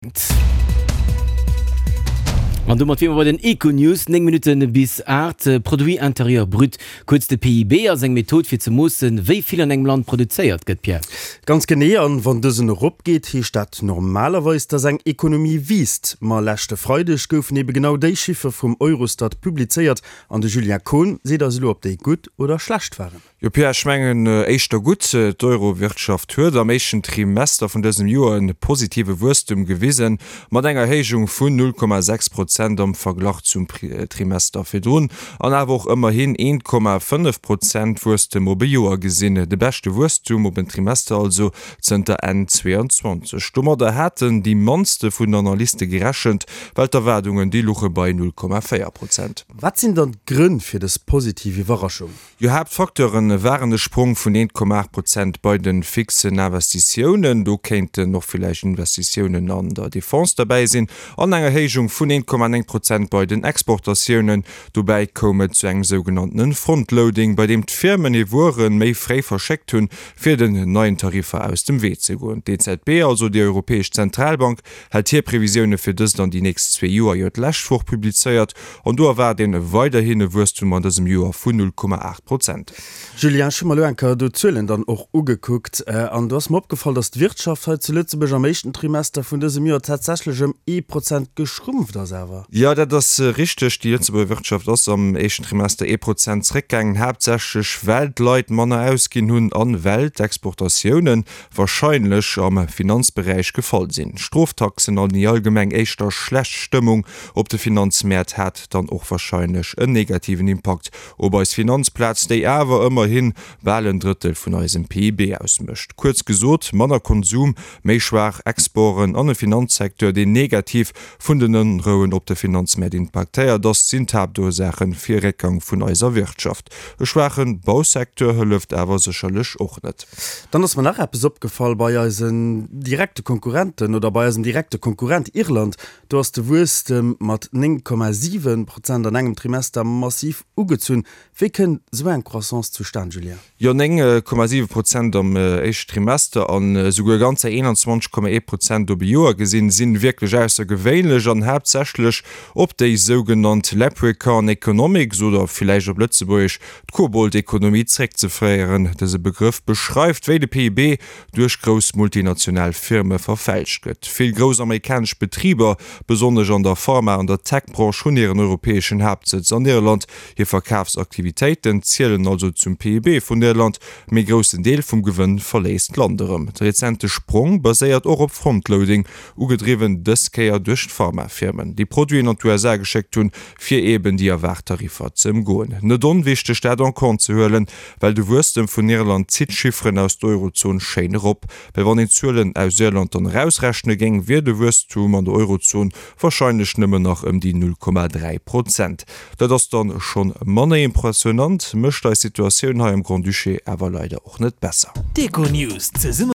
An domat wier mer bei den Econews, 9 Minutte bis 8. Produit intérieur brut, kuerz de PIB, ass eng Method fir ze moossen, wéi vill an engem Land produzéiert gëtt, Pierre. Ganz genee, an wann dësen eropgeet, heescht dat normalerweis, dass eng Ekonomie wiisst. Ma leschte Freideg goufen ebe genau déi Chiffer vum Eurostat publizéiert an de Julien Kohn seet eis elo, ob déi gutt oder schlecht waren. Jo Pierre, ech mengen éischter gutt. D'Euro-Wirtschaft huet am éischten Trimester vun dësem Joer e positive Wuesstum gewisen, mat enger Erhéijung vun 0,6 Prozent am Verglach zum Trimester virdrun an awer och ëmmerhin 1,5 Prozent Wuesstem op e Joer gesinn. De beschte Wuesstum op en Trimester also zënter Enn 22. Domadder haten déi mannste vun den Analyste gerechent, well d'Erwaardungen déi luche bei 0,4 Prozent. Wat sinn dann d'Grënn fir dës positiv Iwwerraschung? Jo, Haaptfacteure waren e Sprong vun 1,8 Prozent bei de fixen Investitiounen, do kéinten och villäicht Investitiounen an der Defense derbäi sinn, an eng Erhéijung vun 1,9 Prozent bei den Exportatiounen. Dobäi koum et zu engem sougenanntene Frontloading, bei deem d'Firmen hir Wuere méi fréi verschéckt hunn, fir den neien Tariffer aus dem Wee ze goen. D'EZB, also déi Europäesch Zentralbank, hat hir Previsioune fir dëst an déi nächst zwee Joer jo d'lescht Woch publizéiert. An do erwaart een weiderhin e Wuesstum an dësem Joer vun 0,8 Prozent. Julien, ech hu mer elo eng Kéier do d'Zuelen dann och ugekuckt an do ass mer opgefall, dass d'Wirtschaft hei zu Lëtzebuerg am éischten Trimester vun dësem Joer tatsächlech ëm ee Prozent geschrumpft ass awer. Jo, dat ass richteg. Déi Lëtzebuerger Wirtschaft ass am éischten Trimester ee Prozent zréckgaangen, haaptsächlech well d'Leit manner ausginn hunn an well d'Exportatiounen warscheinlech am Finanzberäich gefall sinn. Stroftaxen an déi allgemeng éischter schlecht Stëmmung op de Finanzmäert hat dann och warscheinlech en negativen Impakt op eis Finanzplaz, déi awer ëmmerhi bal en Drëttel vun eisem PIB ausmécht. Kuerz gesot, manner Konsum, méi schwaach Exporten an e Finanzsecteur, deen negativ vun den Onrouen op de Finanzmäert impaktéiert ass, sinn d'Haaptursaache fir e Réckgang vun eiser Wirtschaft. E schwaache Bausecteur hëlleft awer sécherlech och net. Dann ass mer nach eppes opgefall, Bei eisen direkte Konkurrenten oder bei eisem direkte Konkurrent Irland, do ass de Wuesstem mat 9,7 Prozent an engem Trimester massiv ugezunn. Wéi kënnt esou eng Croissance zustan, Julien? Jo, 9,7 Prozent am éischte Trimester an esouguer ganzer 21,1 Prozent op e Joer gesinn, sinn wierklech aussergewéinlech an haaptsächlech op déi sougenannt Leprechaun Economics oder villäicht op Lëtzebuergesch d'Kobold-Ekonomie zréckzeféieren. Dëse Begrëff beschreift, wéi de PIB duerch grouss multinational Firme verfälscht gëtt. Vill grouss amerikanesch Betriber, besonnesch an der Pharma an der Tech-Branche, hunn hiren europäeschen Haaptsëtz an Irland. Hir Verkafsaktivitéiten zielen also zum PIB vun Irland, mee e groussen Deel vum Gewënn verléisst d'Land erëm. De rezente Sprong baséiert och op Frontloading, ugedriwwen dës Kéier duerch d'Pharma-Firmen, déi Produiten an d'USA geschéckt hunn, fir eeben déi erwaart Tariffer ze ëmgoen. Net onwichteg dat en compte ze huelen, well de Wuesstem vun Irland zitt d'Chifferen aus der Eurozon schéin erop. Well wann een d'Zuelen aus Irland dann erausrechne géing, wier de Wuesstum an der Eurozon warscheinlech nëmmen nach ëm déi 0,3 Prozent. Dat ass dann schonn manner impressionant, mécht eis Situatioun hei am Grand-Duché awer leider och net besser. D'Econews zesumme.